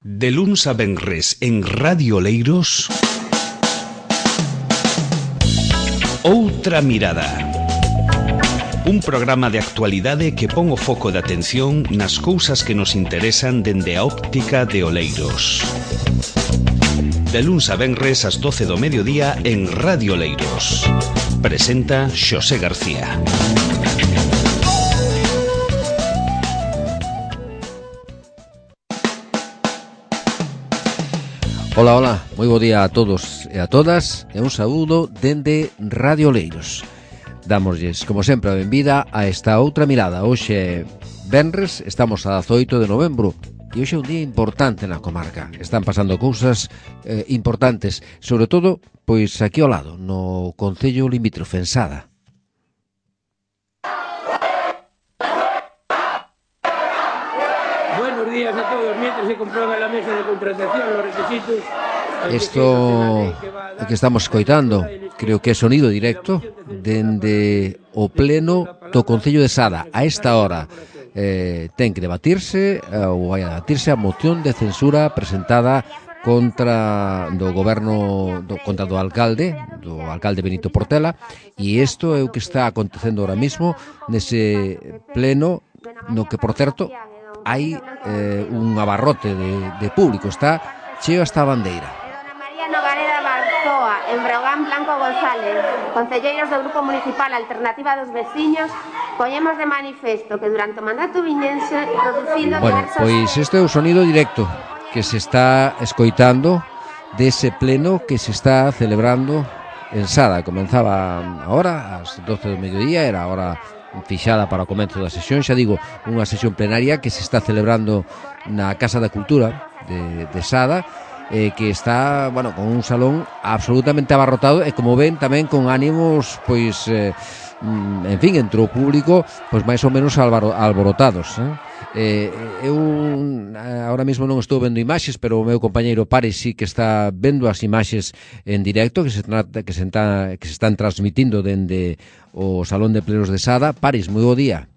De luns a venres en Radio Oleiros, Outra Mirada. Un programa de actualidade que pon o foco de atención nas cousas que nos interesan dende a óptica de Oleiros. De luns a venres ás 12 do mediodía en Radio Oleiros. Presenta Xosé García. Ola, ola, moi bo día a todos e a todas e un saúdo dende Radio Oleiros. Dámoslles, como sempre, a benvida a esta outra mirada. Hoxe, venres, estamos a 18 de novembro e hoxe é un día importante na comarca. Están pasando cousas importantes, sobre todo, pois aquí ao lado, no concello limítrofe, en Sada. Buenos días a todos. Mientras se comprueba la mesa de contratación, los requisitos... Isto que estamos escoitando, creo que é sonido directo dende o pleno do Concello de Sada. A esta hora ten que debatirse ou vai a debatirse a moción de censura presentada contra do goberno contra do alcalde Benito Portela, e isto é o que está acontecendo ahora mismo nese pleno, no que, por certo, hai un abarrote de público, está cheo hasta a bandeira. Nogareda Barzoa, en Breogán Blanco González, concelleiros do Grupo Municipal Alternativa dos Veciños, poñemos de manifesto que durante o mandato viñense producindo diversos... Pois este é o sonido directo que se está escoitando dese pleno que se está celebrando en Sada. Comenzaba agora ás 12 do mediodía, era a hora fixada para o comezo da sesión, xa digo, unha sesión plenaria que se está celebrando na Casa da Cultura de Sada, que está, bueno, con un salón absolutamente abarrotado e, como ven, tamén con ánimos, pois, en fin, entre o público, pois máis ou menos alborotados, eu ahora mesmo non estou vendo imaxes, pero o meu compañeiro Paris sí que está vendo as imaxes en directo que se están transmitindo dende o Salón de Plenos de Sada. Paris, moi bo día.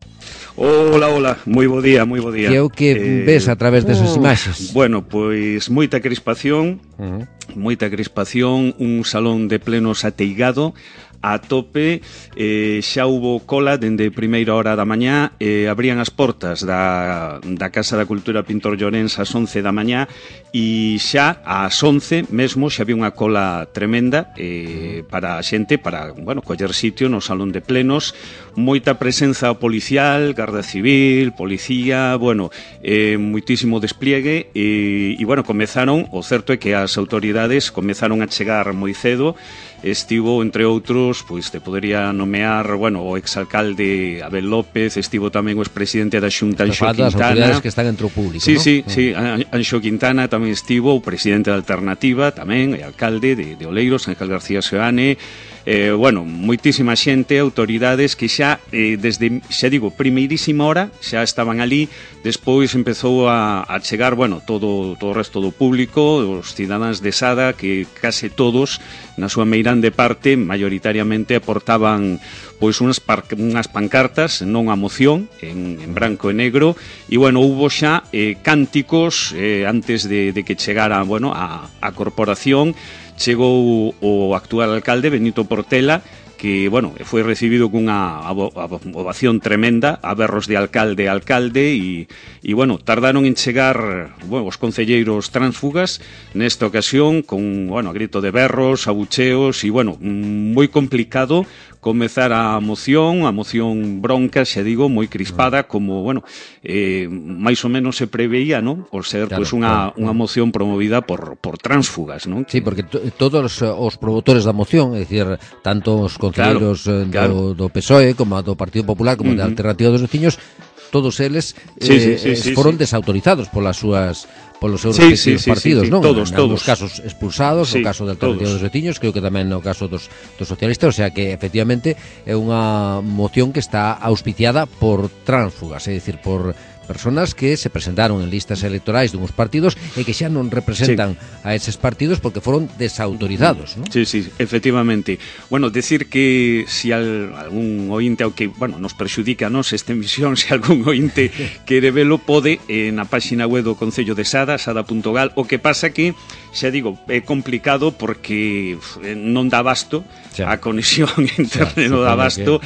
Ola, moi bo día. Que é o que ves a través desas imaxes? Bueno, pois moita crispación, un salón de plenos ateigado, a tope, xa hubo cola dende primeira hora da mañá, abrían as portas da Casa da Cultura Pintor Llorens ás 11 da mañá e xa ás 11 mesmo xa había unha cola tremenda para a xente, para, bueno, coller sitio no salón de plenos, moita presenza policial, Garda Civil, policía, bueno, moitísimo despliegue e bueno, comezaron, o certo é que as autoridades comezaron a chegar moi cedo. Estivo, entre outros, pois te podería nomear, bueno, o exalcalde Abel López, estivo tamén o expresidente da Xunta, Anxo Quintana. As autoridades que están entre o público, sí, ¿no? Sí, Anxo Quintana tamén estivo, o presidente da Alternativa tamén, e alcalde de Oleiros, Ángel García Seoane. Bueno, moitísima xente, autoridades que xa, desde, xa digo, primeirísima hora, xa estaban ali. Despois empezou a chegar, bueno, todo o resto do público, os cidadáns de Sada, que case todos, na súa meirande parte, maioritariamente aportaban pois unhas pancartas, non a moción, en branco e negro, e, bueno, hubo xa cánticos antes de que chegara, bueno, a corporación. Chegou o actual alcalde, Benito Portela, que, bueno, foi recibido cunha ovación tremenda, a berros de alcalde a alcalde, e bueno, tardaron en chegar, bueno, os concelleiros tránsfugas nesta ocasión, con, bueno, a grito de berros, abucheos, e, bueno, moi complicado comezar a moción bronca, xa digo, moi crispada, como, bueno, máis ou menos se preveía, non? Por ser, claro, pois, unha moción promovida por tránsfugas, non? Sí, porque todos os promotores da moción, é dicir, tanto os concelleiros do PSOE, como do Partido Popular, como da Alternativa dos Veciños, todos eles foron desautorizados polos seus respectivos partidos, non? Todos. Nos casos expulsados, o caso da Alternativa dos Veciños, creo que tamén no caso dos socialistas, o sea que efectivamente é unha moción que está auspiciada por tránsfugas, é dicir, por personas que se presentaron en listas electorais dunhos partidos e que xa non representan a eses partidos porque foron desautorizados, ¿no? Sí, efectivamente. Bueno, decir que si algún ointe, aunque, bueno, nos perxudica a nos esta emisión, se algún ointe quere velo, pode na páxina web do Concello de Sada, sada.gal. O que pasa que, xa digo, é complicado porque non dá abasto a conexión internet, non dá abasto,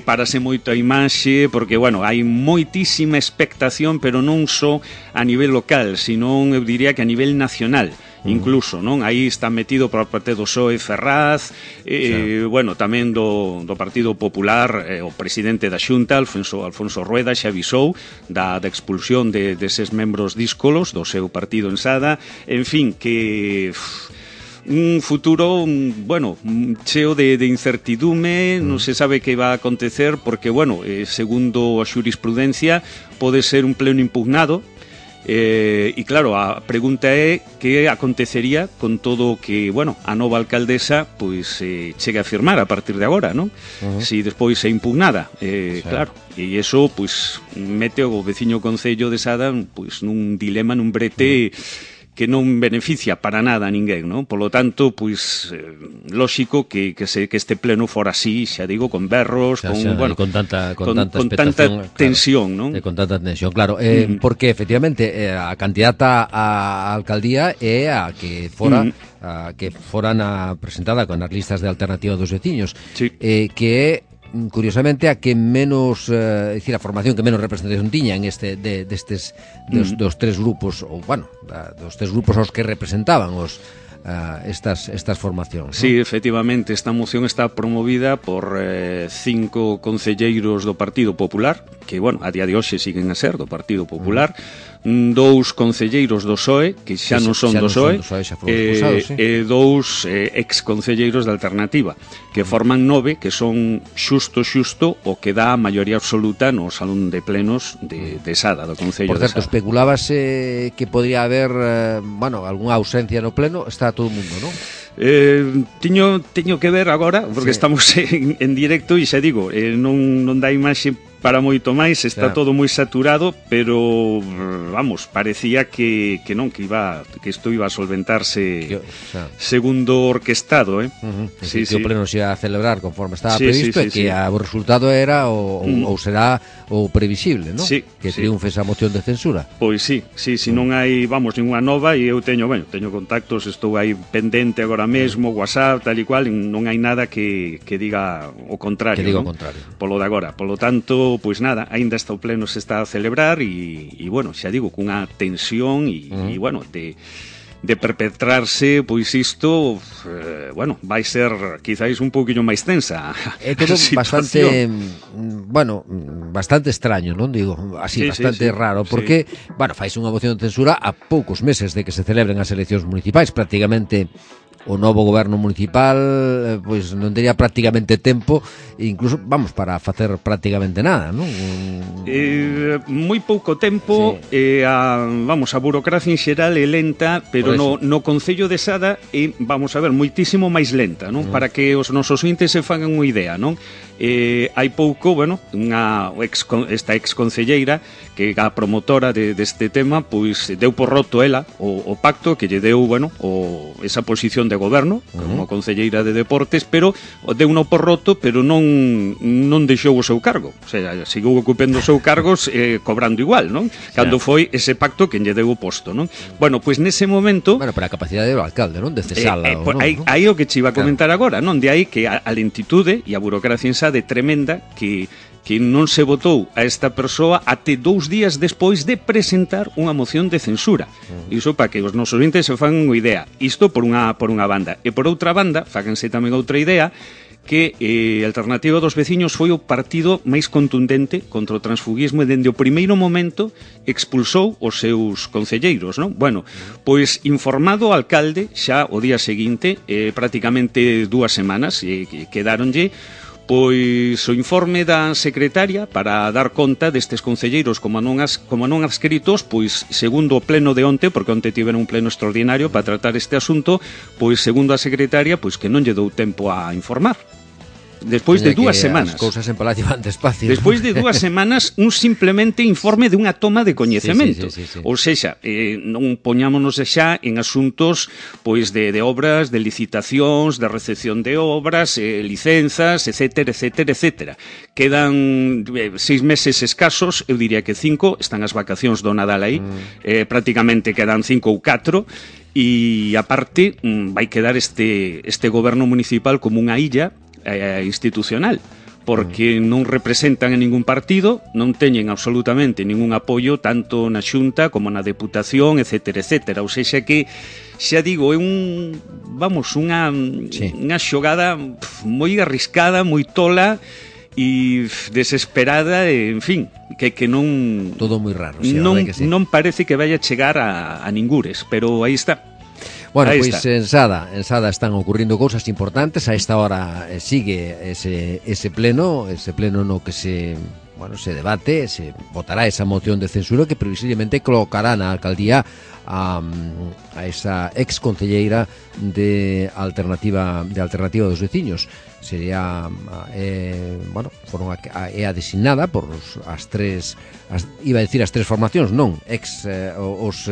parase moito a imaxe, porque, bueno, hai moitísima expectación, pero non só a nivel local, sino, eu diría que a nivel nacional. Incluso, non? Aí está metido por parte do PSOE Ferraz, bueno, tamén do Partido Popular, o presidente da Xunta, Alfonso Rueda, xa avisou da expulsión deses membros díscolos do seu partido en Sada. En fin, que un futuro, bueno, cheo de incertidume, non se sabe que va a acontecer porque, bueno, segundo a xurisprudencia pode ser un pleno impugnado. E claro, a pregunta é que acontecería con todo o que, bueno, a nova alcaldesa pois chegue a firmar a partir de agora, non? Si despois é impugnada, claro, e iso pois mete o veciño concello de Sada pois nun dilema, nun brete que non beneficia para nada a ninguén, non? Polo tanto, pois, lóxico que este pleno fora así, xa digo, con berros, bueno, con tanta tensión, non? Con tanta tensión, claro, porque efectivamente a candidata á alcaldía é a que fora presentada con as listas de alternativa dos veciños, que é curiosamente a que menos, decir, a formación que menos representación tiña en dos tres grupos, ou bueno, dos tres grupos aos que representaban estas formacións, Sí, ¿no? Efectivamente, esta moción está promovida por 5 concelleiros do Partido Popular, que, bueno, a día de hoxe siguen a ser do Partido Popular, 2 concelleiros do PSOE, que xa non son do PSOE, e 2 ex-concelleiros da Alternativa, que forman 9, que son xusto o que dá a maioría absoluta no Salón de Plenos de Sada, do Concello de Sada. Por certo, especulábase que podría haber, bueno, algunha ausencia no Pleno, está todo o mundo, non? Teño que ver agora, porque estamos en directo e xa digo, non dá imaxe para moito máis, está todo moi saturado, pero vamos, parecía que isto iba a solventarse segundo orquestado, Sí, o pleno se ia a celebrar conforme estaba previsto e que o resultado era ou será o previsible, non? Que triunfe esa moción de censura. Pois sí, non hai, vamos, ninguna nova, e eu teño contactos, estou aí pendente agora mesmo, WhatsApp, tal e cual, non hai nada que diga o contrario, polo de agora. Polo tanto, pois nada, aínda está o pleno, se está a celebrar e bueno, xa digo, cunha tensión e bueno, de perpetrarse, pois isto, bueno, vai ser quizáis un pouquinho máis tensa. É todo bastante, bueno, bastante extraño, non digo, así, bastante raro, porque, bueno, faise unha moción de censura a poucos meses de que se celebren as eleccións municipais, prácticamente o novo goberno municipal pois non tería prácticamente tempo, incluso, vamos, para facer prácticamente nada, non? Moi pouco tempo, a burocracia en xeral é lenta, pero no Concello de Sada é, vamos a ver, moitísimo máis lenta, non? Para que os nosos ointes se fagan unha idea, non? Hai pouco, bueno, esta ex-concelleira que a promotora deste tema, pois deu por roto ela o pacto que lle deu, bueno, esa posición de goberno como concelleira de deportes, pero deu no por roto, pero non deixou o seu cargo, o sea, seguiu ocupando o seu cargo cobrando igual, non? Cando foi ese pacto que lle deu o posto, non? Bueno, pois nese momento, bueno, para a capacidade do alcalde, non? De cesala, aí o que che iba a comentar agora, non? De aí que a lentitude e a burocracia en de tremenda que non se votou a esta persoa até 2 días despois de presentar unha moción de censura. Iso para que os nosos ouvintes se fan unha idea. Isto por unha banda. E por outra banda, fáganse tamén outra idea, que a Alternativa dos Veciños foi o partido máis contundente contra o transfuguismo e dende o primeiro momento expulsou os seus concelleiros, non? Bueno, pois informado o alcalde xa o día seguinte, prácticamente 2 semanas, quedáronlle pois o informe da secretaria para dar conta destes concelleiros como non adscritos, pois segundo o pleno de onte, porque onte tiveron un pleno extraordinario para tratar este asunto, pois segundo a secretaria, pois que non lle dou tempo a informar. despois de 2 semanas. As cousas en Palacio van despacio. Despois de 2 semanas, un simplemente informe de unha toma de coñecemento. Sí. Ou seja, non poñámonos xa en asuntos pois de obras, de licitacións, de recepción de obras, licenzas, etcétera. Quedan 6 meses escasos, eu diría que 5, están as vacacións do Nadal aí, prácticamente quedan 5 ou 4, e aparte vai quedar este goberno municipal como unha illa institucional, porque non representan a ningún partido, non teñen absolutamente ningún apoio tanto na Xunta como na Deputación, etcétera. Ou seja que, xa digo, é unha xogada moi arriscada, moi tola e desesperada, en fin, que non... Todo moi raro, non parece que vaya a chegar a ningures, pero aí está. Bueno, pois en Sada están ocurrindo cousas importantes. A esta hora sigue ese pleno no que se debate, se votará esa moción de censura que previsiblemente colocará na alcaldía a esa ex concelleira de alternativa dos veciños. Sería é designada por as tres formacións, non, os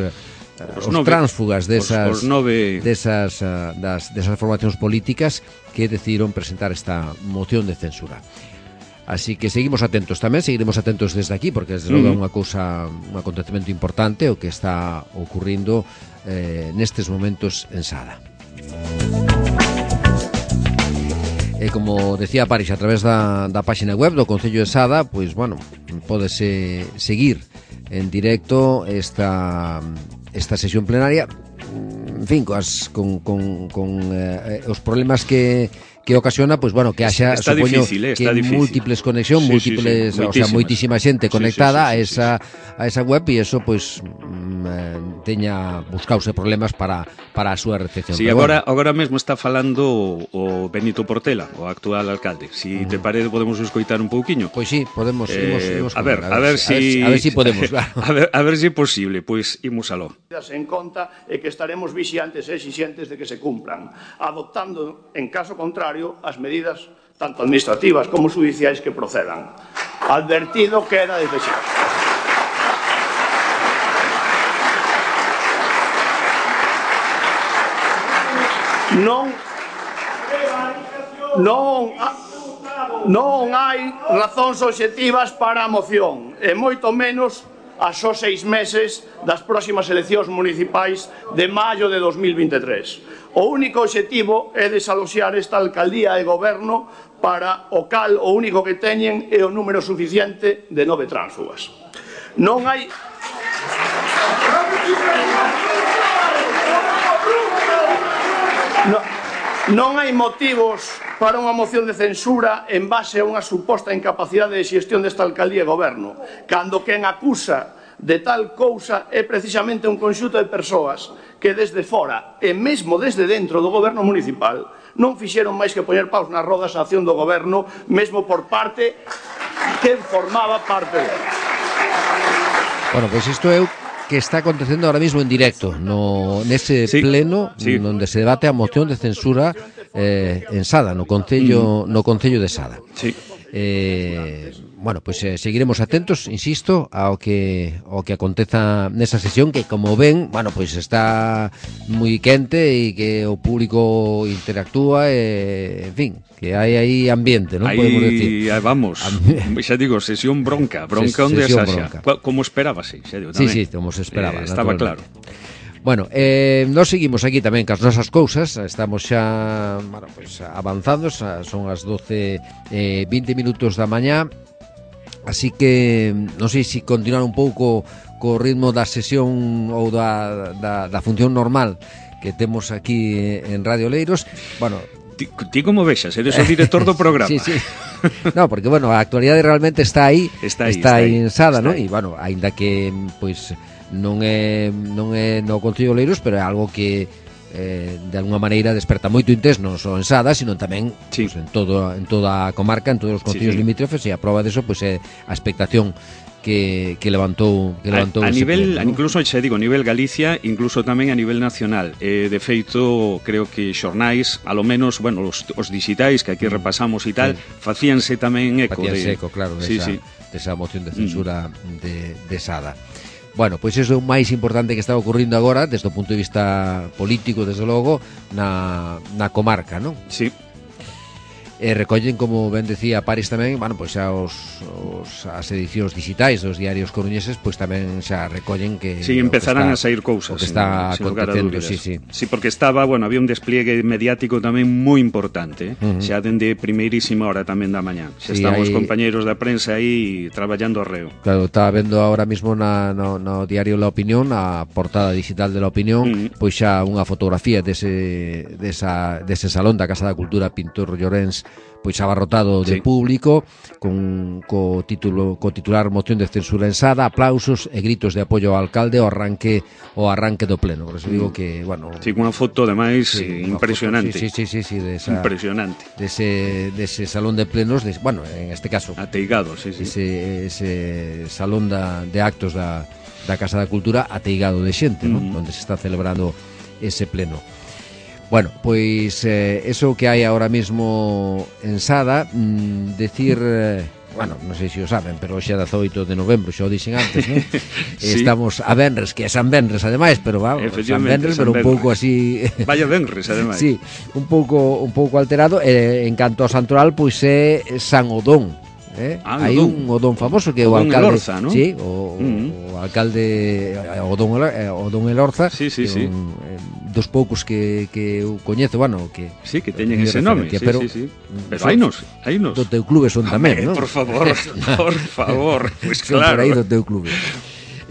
tránsfugas desas formacións políticas que decidiron presentar esta moción de censura. Así que seguiremos atentos desde aquí, porque desde logo é un acontecemento importante o que está ocurrindo nestes momentos en Sada. E como decía Paris, a través da página web do Concello de Sada, pois, bueno, pódese seguir en directo esta sesión plenaria, en fin, con os problemas que ocasiona, pois, bueno, que haxa, supoño, que múltiples conexións, moitísima xente conectada a esa web, e eso, pois, teña buscause problemas para a súa recepción. Sí, agora mesmo está falando o Benito Portela, o actual alcalde. Si te parece, podemos escoitar un pouquiño. Pois sí, podemos a ver si podemos, claro. a ver si é posible, pois imos aló. En conta é que estaremos vixiantes e exixentes de que se cumpran, adoptando, en caso contrario, as medidas tanto administrativas como judiciais que procedan. Advertido queda desde xa. Non hai razóns obxectivas para a moción, e moito menos a só 6 meses das próximas eleccións municipais de maio de 2023. O único obxectivo é desaloxar esta alcaldía e goberno, para o cal o único que teñen é o número suficiente de 9 tránsfugas. Non hai motivos para unha moción de censura en base a unha suposta incapacidade de xestión desta alcaldía e goberno, cando quen acusa de tal cousa é precisamente un conxunto de persoas que desde fora e mesmo desde dentro do goberno municipal non fixeron máis que poñer paus nas rodas a acción do goberno, mesmo por parte que formaba parte dela. Bueno, pois isto é que está acontecendo ahora mismo en directo nese pleno onde se debate a moción de censura en Sada, no Concello de Sada. Sí. Bueno, pois seguiremos atentos, insisto, ao que aconteza nesa sesión, que, como ven, bueno, pois está moi quente e que o público interactúa, en fin, que hai aí ambiente, non podemos decir. Vamos, xa digo, sesión bronca onde a Saxa, como esperábase, xa digo, tamén. Sí, como se esperaba, estaba claro. Bueno, nos seguimos aquí tamén cas nosas cousas. Estamos xa, bueno, pues, avanzando. Son as 12:20 minutos da mañá. Así que non sei se continuar un pouco co ritmo da sesión ou da función normal que temos aquí en Radio Oleiros. Bueno, ti como vexas, eres o director do programa. Sí. No, porque, bueno, a actualidade realmente está aí en Sada, non? E, bueno, aínda que, pois, non é no Concello de Oleiros, pero é algo que de alguna maneira desperta moito interés non só en Sada, sino tamén pues, en toda a comarca, en todos os concellos limítrofes, e a prova deso pues, é a expectación que levantou a nivel pleno, incluso xa digo, a nivel Galicia, incluso tamén a nivel nacional. De feito, creo que xornais, a lo menos, bueno, os digitais que aquí repasamos e tal, facíanse tamén eco claro, desa moción de censura de Sada. Bueno, pois iso é o máis importante que está ocurrindo agora desde o punto de vista político, desde logo, na comarca, non? Sí. Recollen, como ben decía Paris tamén, bueno, pois xa as edicións digitais dos diarios coruñeses, pois tamén xa recollen que empezarán a sair cousas, que está acontecendo, sí, porque estaba, bueno, había un despliegue mediático tamén moi importante, xa dende primeirísima hora tamén da mañá. Xa están os compañeiros da prensa aí traballando arreo. Claro, estaba vendo ahora mismo no diario La Opinión, a portada digital de La Opinión, pois xa unha fotografía dese salón da Casa da Cultura Pintor Llorens, pois abarrotado de público, co titular moción de censura en Sada, aplausos e gritos de apoio ao alcalde ao arranque do pleno. Por eso digo que, bueno, sí, unha foto ademais impresionante. Impresionante. Dese salón de plenos, bueno, en este caso ateigado, ese salón de actos da Casa da Cultura ateigado de xente, non? Onde se está celebrando ese pleno. Bueno, pois eso que hai ahora mismo en Sada, decir, bueno, non sei se o saben, pero hoxe é 18 de novembro, xa o dixen antes, non? Estamos a Venres, que é San Venres ademais, pero vamos, San Venres, pero un pouco así... Vaya Venres, ademais. Sí, un pouco alterado, en canto ao santoral, pois é San Odón. Hai un Odón famoso que é o alcalde, Elorza, ¿no? Sí, o alcalde Odón Elorza, dos poucos que eu coñezo, bueno, que sí, que teñen ese nome, pero hainos. Do teu clube son tamén, non? Por favor, pues son claro. Por aí do teu clube.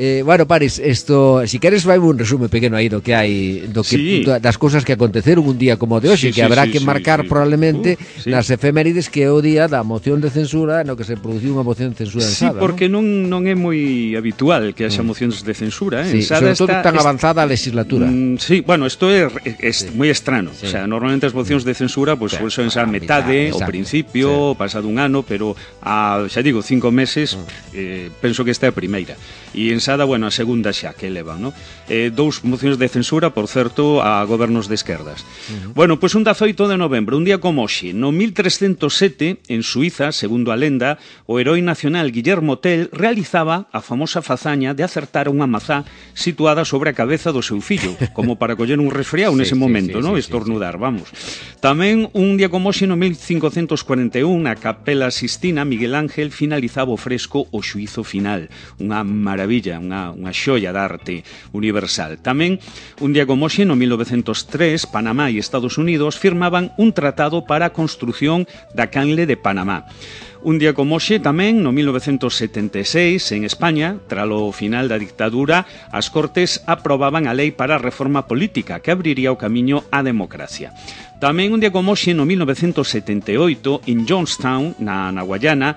Bueno, Paris, isto, si queres vai un resume pequeno aí do que hai, das cousas que aconteceron un día como o de hoxe, que habrá que marcar probablemente nas efemérides, que é o día da moción de censura, no que se produciu unha moción de censura en Sada. Sí, porque non é moi habitual que haxa mocións de censura, en Sada, sobre todo tan avanzada a legislatura. Sí, bueno, isto é moi estrano. O sea, normalmente as mocións de censura pois son xa metade, ao principio, pasado un ano, pero xa digo, 5 meses, penso que esta é a primeira. E en Sada, bueno, a segunda xa que elevan, ¿no? Dous mocións de censura, por certo, a gobernos de esquerdas. Bueno, pois un 18 de novembro, un día como hoxe, no 1307, en Suiza, segundo a lenda, o heroi nacional Guillermo Tell realizaba a famosa fazaña de acertar unha mazá situada sobre a cabeza do seu fillo, como para coller un resfriado nese momento, ¿no? Estornudar, vamos. Tamén un día como hoxe, no 1541, na Capela Sistina, Miguel Ángel finalizaba o fresco O xuízo final, unha maravilla, unha xoia da arte universal. Tamén, un día como hoxe, no 1903, Panamá e Estados Unidos firmaban un tratado para a construción da canle de Panamá. Un día como hoxe, tamén, no 1976, en España, tralo final da dictadura, as Cortes aprobaban a lei para a reforma política que abriría o camiño á democracia. Tamén un día como hoxe, no 1978, en Johnstown, na Guayana,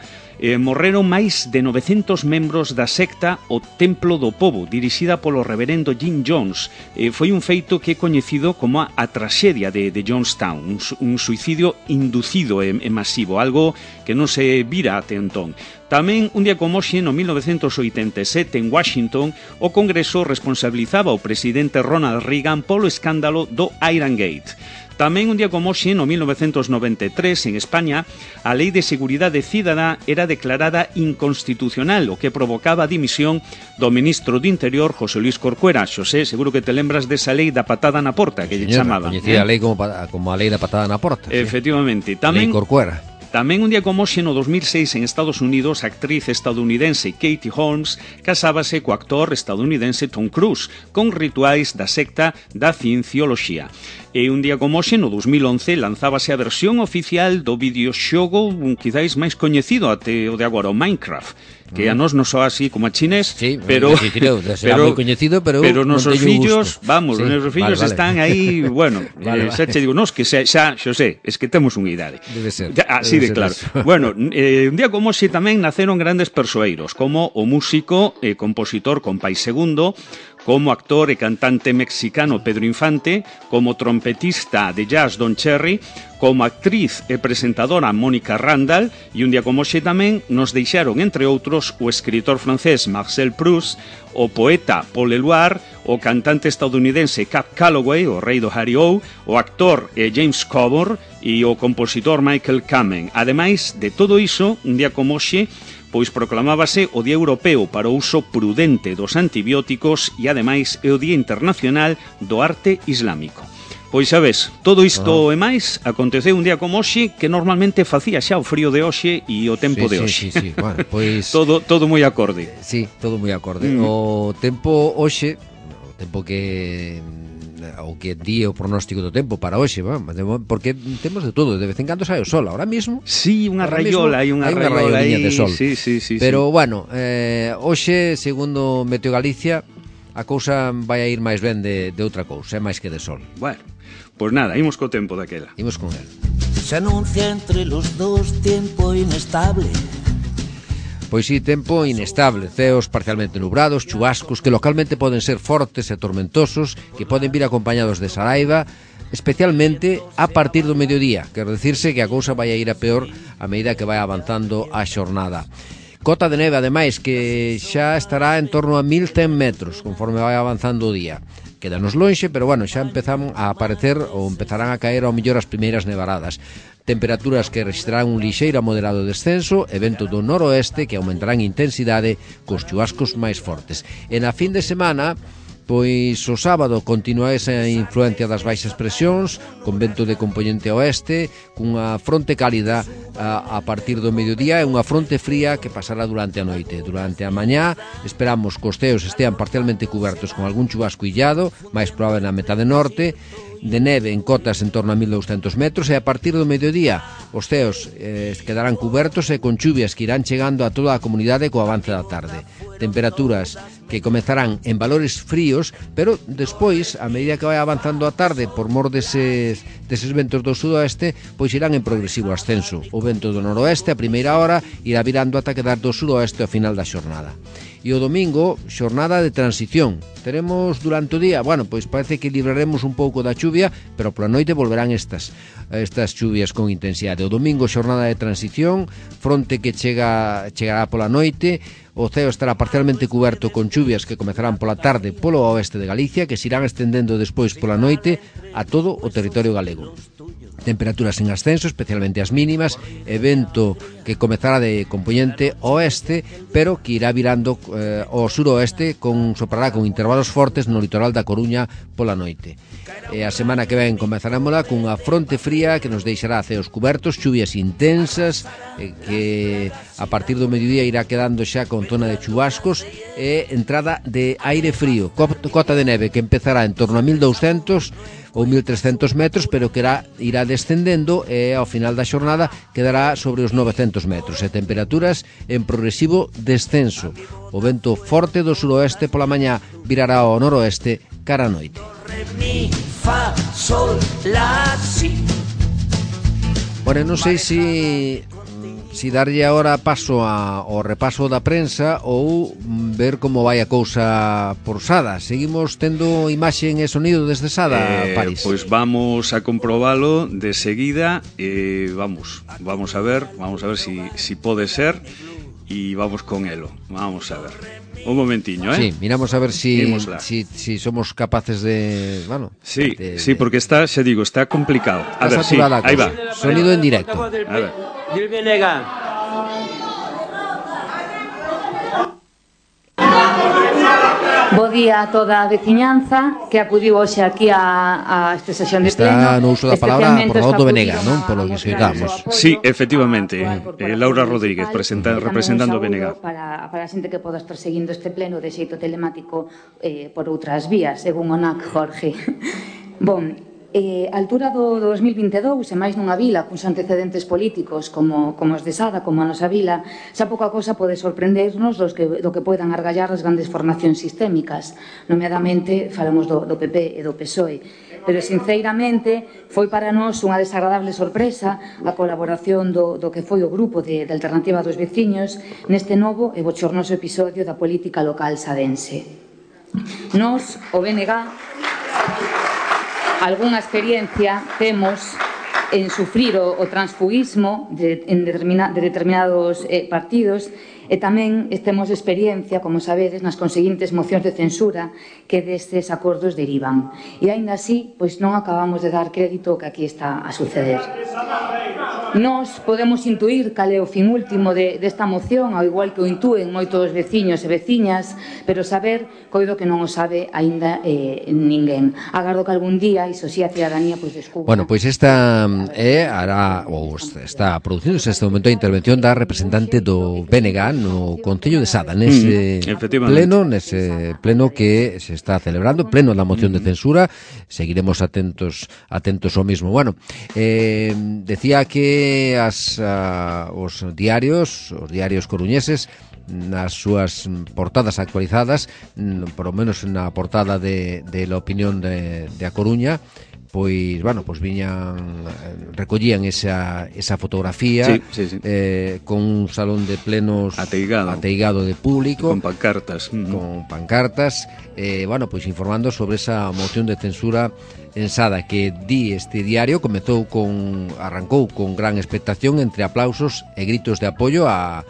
morreron máis de 900 membros da secta O Templo do Pobo, dirixida polo reverendo Jim Jones. Foi un feito que é coñecido como a traxedia de Johnstown, un suicidio inducido e masivo, algo que non se vira até entón. Tamén, un día como hoxe, no 1987, en Washington, o Congreso responsabilizaba ao presidente Ronald Reagan polo escándalo do Iran Gate. Tamén un día como hoxe, no 1993, en España, a Lei de Seguridade Cidadá era declarada inconstitucional, o que provocaba a dimisión do ministro do Interior, José Luis Corcuera. Xosé, seguro que te lembras desa lei da patada na porta, que lle chamaban. Coñecía a lei como a lei da patada na porta. Efectivamente. Tamén, lei Corcuera. Tamén un día como hoxe, no 2006, en Estados Unidos, a actriz estadounidense Katie Holmes casábase co actor estadounidense Tom Cruise, con rituais da secta da ciencioloxía. E un día como hoxe, no 2011, lanzábase a versión oficial do videoxogo quizáis máis coñecido até o de agora, o Minecraft, que a nos non soa así como a chinés, sí, pero moi coñecido, pero nosos fillos, vamos, os nosos fillos están aí, bueno, xa che digo, nos que xa, Xosé, es que temos unha idade. Debe ser. Así de claro. Bueno, un día como hoxe tamén naceron grandes persoeiros, como o músico e compositor Compay Segundo, como actor e cantante mexicano Pedro Infante, como trompetista de jazz Don Cherry, como actriz e presentadora Mónica Randall, e un día como hoxe tamén nos deixaron, entre outros, o escritor francés Marcel Proust, o poeta Paul Eluard, o cantante estadounidense Cab Calloway, o rei do Harry-O, o actor James Coburn e o compositor Michael Kamen. Ademais de todo iso, un día como hoxe, pois proclamábase o Día Europeo para o uso prudente dos antibióticos e, ademais, é o Día Internacional do Arte Islámico. Pois sabes, todo isto e máis aconteceu un día como hoxe, que normalmente facía xa o frío de hoxe e o tempo de hoxe. Sí. Bueno, pois todo moi acorde. Sí, todo moi acorde. O tempo hoxe, o tempo que o que di o pronóstico do tempo para hoxe, porque temos de todo, de vez en cando sai o sol, ahora mismo. Sí, unha raiola, hai unha raiola de sol. Sí. Pero bueno, hoxe, segundo Meteo Galicia, a cousa vai a ir máis ben de outra cousa, é máis que de sol. Bueno, pois nada, imos co tempo daquela. Imos con el. Se anuncia entre los dos tiempo inestable. Pois sí, tempo inestable, ceos parcialmente nubrados, chubascos que localmente poden ser fortes e tormentosos, que poden vir acompañados de saraiva, especialmente a partir do mediodía. Quero dicirse que a cousa vai a ir a peor a medida que vai avanzando a xornada. Cota de neve, ademais, que xa estará en torno a 1100 metros conforme vai avanzando o día. Quédanos lonxe, pero bueno, xa empezamos a aparecer ou empezarán a caer ao mellor as primeiras nevaradas. Temperaturas que registrarán un lixeiro a moderado descenso e vento do noroeste que aumentarán intensidade cos chubascos máis fortes. E na fin de semana, pois o sábado continúa esa influencia das baixas presións con vento de componente oeste, cunha fronte cálida a partir do mediodía e unha fronte fría que pasará durante a noite. Durante a mañá esperamos que os ceos estean parcialmente cubertos con algún chubasco illado, máis probable na metade norte, de neve en cotas en torno a 1200 metros e a partir do mediodía os ceos quedarán cubertos e con chuvias que irán chegando a toda a comunidade co avance da tarde. Temperaturas que comezarán en valores fríos, pero despois, a medida que vai avanzando a tarde por mor deses ventos do sudoeste, pois irán en progresivo ascenso. O vento do noroeste a primeira hora irá virando ata quedar do sudoeste ao final da xornada. E o domingo, xornada de transición. Teremos durante o día, bueno, pois parece que libraremos un pouco da chuvia, pero pola noite volverán estas chuvias con intensidade. O domingo, xornada de transición, fronte que chegará pola noite, o ceo estará parcialmente cuberto con chuvias que comezarán pola tarde polo oeste de Galicia, que se irán estendendo despois pola noite a todo o territorio galego. Temperaturas en ascenso, especialmente as mínimas, e vento que comezará de componente oeste, pero que irá virando ao suroeste, soprará con intervalos fortes no litoral da Coruña pola noite. E a semana que ven comezarámola cunha fronte fría que nos deixará ceos cubertos, chuvias intensas, que a partir do mediodía irá quedando xa con zona de chubascos e entrada de aire frío, cota de neve que empezará en torno a 1200 ou 1300 metros, pero que irá descendendo e ao final da xornada quedará sobre os 900 metros e temperaturas en progresivo descenso. O vento forte do suroeste pola mañá virará ao noroeste cara a noite. Bueno, non sei se darlle agora paso ao repaso da prensa ou ver como vai a cousa por Sada. Seguimos tendo imaxe e sonido desde Sada, París. Pois vamos a comprobalo de seguida e vamos a ver si pode ser e vamos con elo. Vamos a ver. Un momentiño, Sí, miramos a ver si somos capaces de... Bueno, sí, porque está complicado. A ver, sí, aí va. Sonido en directo. A ver. Del Venegas. Bo día a toda a veciñanza que acudiu hoxe aquí a esta sesión de pleno. Está no uso da palabra por Rodo Venega, non? Por lo que escoitamos. Sí, efectivamente, Laura Rodríguez representando Venega. Para a xente que poda estar seguindo este pleno de xeito telemático por outras vías, según o NAC, Jorge. Bon, a altura do 2022, e máis nunha vila cuns antecedentes políticos como os de Sada, como a nosa vila, xa pouca cosa pode sorprendernos do que poidan argallar as grandes formacións sistémicas. Nomeadamente, falamos do PP e do PSOE. Pero, sinceramente, foi para nós unha desagradable sorpresa a colaboración do que foi o grupo de Alternativa dos Veciños neste novo e bochornoso episodio da política local sadense. Nos, o BNG, algunha experiencia temos en sufrir o transfugismo de determinados partidos, e tamén temos experiencia, como sabedes, nas conseguintes mocións de censura que destes acordos derivan. E aínda así, pois non acabamos de dar crédito que aquí está a suceder. Nós podemos intuir cal é o fin último desta moción, ao igual que o intúen moitos veciños e veciñas, pero saber, coido que non o sabe aínda ninguén. Agardo que algún día, iso si a cidadanía, pois descubra. Bueno, pois esta está producindo este momento a intervención da representante do BNG no Concello de Sada, nese pleno que se está celebrando, pleno da moción de censura. Seguiremos atentos ao mismo. Bueno, decía que os diarios coruñeses, nas súas portadas actualizadas, por lo menos na portada de La Opinión de A Coruña, pois recollían esa fotografía, sí. Con un salón de plenos ateigado de público, con pancartas, pois informando sobre esa moción de censura en Sada, que di este diario arrancou con gran expectación, entre aplausos e gritos de apoio ao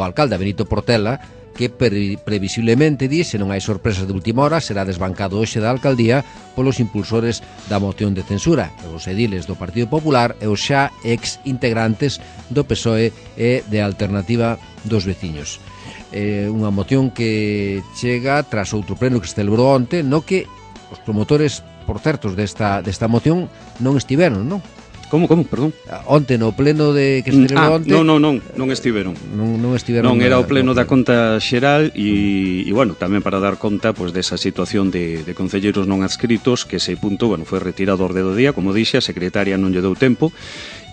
alcalde Benito Portela, que previsiblemente, se non hai sorpresas de última hora, será desbancado hoxe da alcaldía polos impulsores da moción de censura, os ediles do Partido Popular e os xa ex-integrantes do PSOE e de Alternativa dos Veciños. Unha moción que chega tras outro pleno que se celebrou onte, no que os promotores, por certos, desta moción non estiveron, non? Como, perdón? Onte no pleno que se celebrou onte. Non estiveron. Non estiveron. Non era o pleno da conta xeral e bueno, tamén para dar conta pois desa situación de concelleiros non adscritos, que ese punto, bueno, foi retirado ao orde do día, como dixe, a secretaria non lle deu tempo.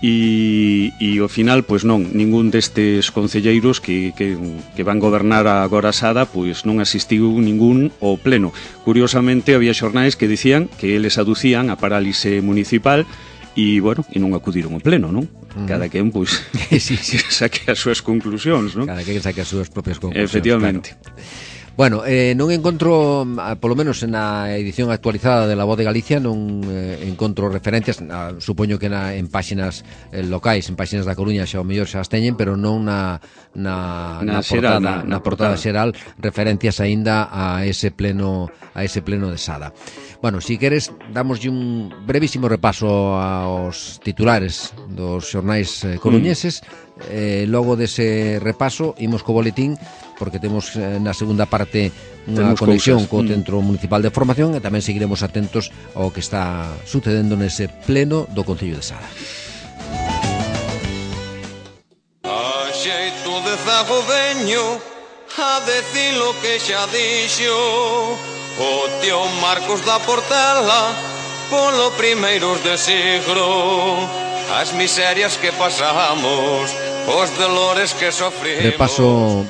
E ao final, pois non, ningún destes concelleiros que van gobernar agora Sada, pois non asistiu ningún ao pleno. Curiosamente, había xornais que dicían que eles aducían a parálise municipal e, bueno, e non acudiron ao pleno, non? Cada quen, pois, saque as súas conclusións, non? Cada quen saque as súas propias conclusións. Efectivamente. Claro. Bueno, non encontro, polo menos na edición actualizada de La Voz de Galicia, non encontro referencias, supoño que en páxinas locais, en páxinas da Coruña xa o mellor xa as teñen, pero non na portada xeral, referencias aínda a ese pleno de Sada. Bueno, si queres, damoslle un brevísimo repaso aos titulares dos xornais coruñeses. Logo dese repaso imos co boletín, porque temos na segunda parte unha conexión co Centro Municipal de Formación, e tamén seguiremos atentos ao que está sucedendo nese pleno do Concello de Sada. A xeito de zago veño a decir lo que xa dixo o tío Marcos da Portela polo primeiros de siglo, as miserias que pasamos, os dolores que sofrimos.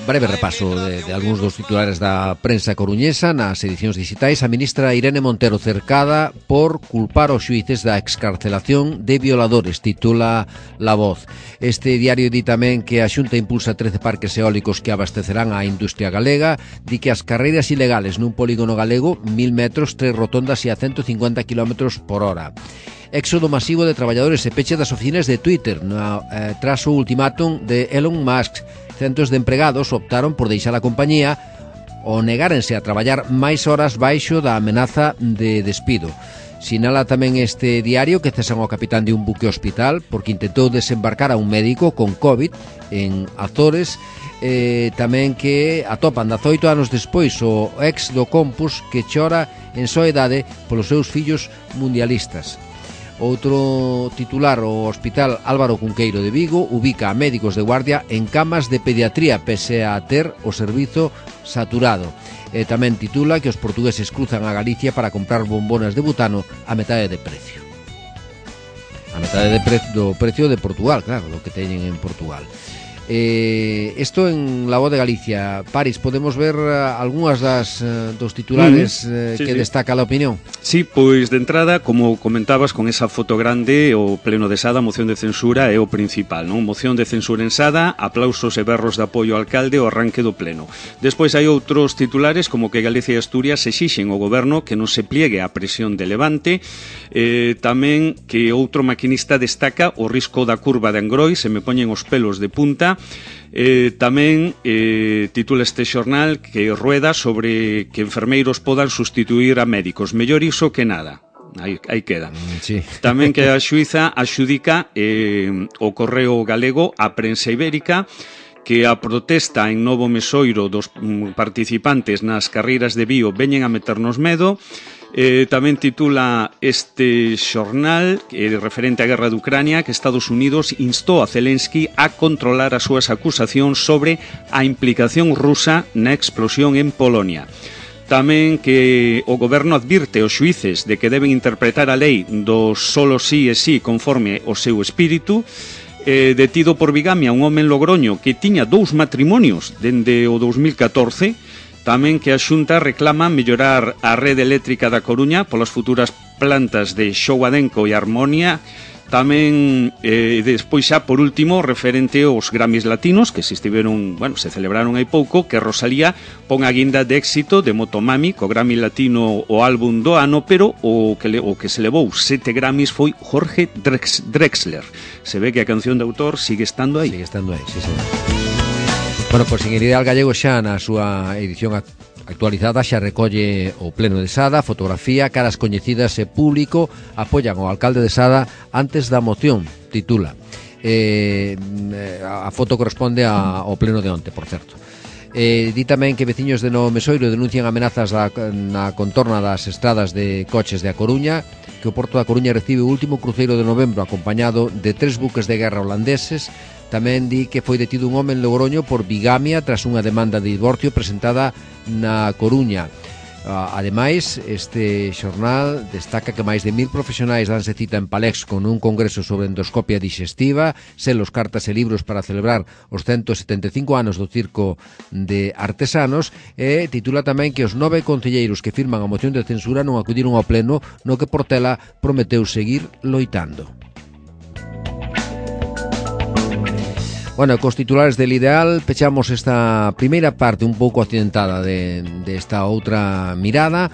Breve repaso de algúns dos titulares da prensa coruñesa nas edicións digitais. A ministra Irene Montero cercada por culpar aos xuíces da excarcelación de violadores, titula La Voz. Este diario di tamén que a Xunta impulsa 13 parques eólicos que abastecerán a industria galega, di que as carreiras ilegales nun polígono galego, 1000 metros, 3 rotondas e a 150 km por hora. Éxodo masivo de traballadores e peche das oficinas de Twitter tras o ultimátum de Elon Musk. Centos de empregados optaron por deixar a compañía ou negárense a traballar máis horas baixo da amenaza de despido. Sinala tamén este diario que cesan ao capitán de un buque hospital porque intentou desembarcar a un médico con COVID en Azores. Tamén que atopan 18 anos despois o ex do Compus que chora en soedade polos seus fillos mundialistas. Outro titular, o Hospital Álvaro Cunqueiro de Vigo ubica a médicos de guardia en camas de pediatría pese a ter o servizo saturado. Tamén titula que os portugueses cruzan a Galicia para comprar bombonas de butano a metade de precio. A metade do precio de Portugal, claro, do que teñen en Portugal. Isto en La Voz de Galicia. Paris, podemos ver algunhas dos titulares que destaca a opinión? Sí, pois de entrada, como comentabas, con esa foto grande, o pleno de Sada, a moción de censura é o principal, non? Moción de censura en Sada, aplausos e berros de apoio ao alcalde ao arranque do pleno. Despois hai outros titulares como que Galicia e Asturias exixen ao goberno que non se pliegue á presión de Levante, tamén que outro maquinista destaca o risco da curva de Angrois, se me poñen os pelos de punta. Tamén titula este xornal que rueda sobre que enfermeiros podan sustituir a médicos, mellor iso que nada. Aí queda. Sí. Tamén que a xuíza axudica o Correo Galego a prensa ibérica, que a protesta en Novo Mesoiro dos participantes nas carreiras de bio veñen a meternos medo. Tamén titula este xornal referente á guerra de Ucrania que Estados Unidos instou a Zelensky a controlar as súas acusacións sobre a implicación rusa na explosión en Polonia. Tamén que o goberno advirte aos xuíces de que deben interpretar a lei do solo sí e sí conforme o seu espírito. Detido por bigamia un home en Logroño que tiña 2 matrimonios dende o 2014. Tamén que a Xunta reclama mellorar a rede eléctrica da Coruña polas futuras plantas de Xouadenco e Harmonia. Tamén, despois xa por último, referente aos Grammys latinos que se celebraron hai pouco, que Rosalía pon a guinda de éxito de Motomami co Grammy latino o álbum do ano, pero o que se levou 7 Grammys foi Jorge Drexler. Se ve que a canción de autor sigue estando aí. Sigue estando aí, sí, señor. Bueno, pois Seguridade Gallego xa na súa edición actualizada xa recolle o pleno de Sada, fotografía, caras coñecidas e público apoian ao alcalde de Sada antes da moción, titula. A foto corresponde ao pleno de onte, por certo. Di tamén que veciños de Novo Mesoiro denuncian amenazas na contorna das estradas de coches de A Coruña, que o Porto da Coruña recibe o último cruceiro de novembro acompañado de 3 buques de guerra holandeses. Tamén di que foi detido un home en Logroño por bigamia tras unha demanda de divorcio presentada na Coruña. Ademais, este xornal destaca que máis de 1000 profesionais danse cita en Palex con un congreso sobre endoscopia digestiva, selos, cartas e libros para celebrar os 175 anos do Circo de Artesanos, e titula tamén que os 9 concelleiros que firman a moción de censura non acudiron ao pleno, no que Portela prometeu seguir loitando. Bueno, cos titulares del Ideal pechamos esta primeira parte un pouco accidentada de esta outra mirada.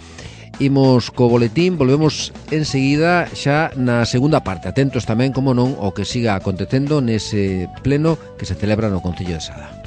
Imos co boletín, volvemos enseguida xa na segunda parte. Atentos tamén, como non, ao que siga acontecendo nese pleno que se celebra no Concello de Sada.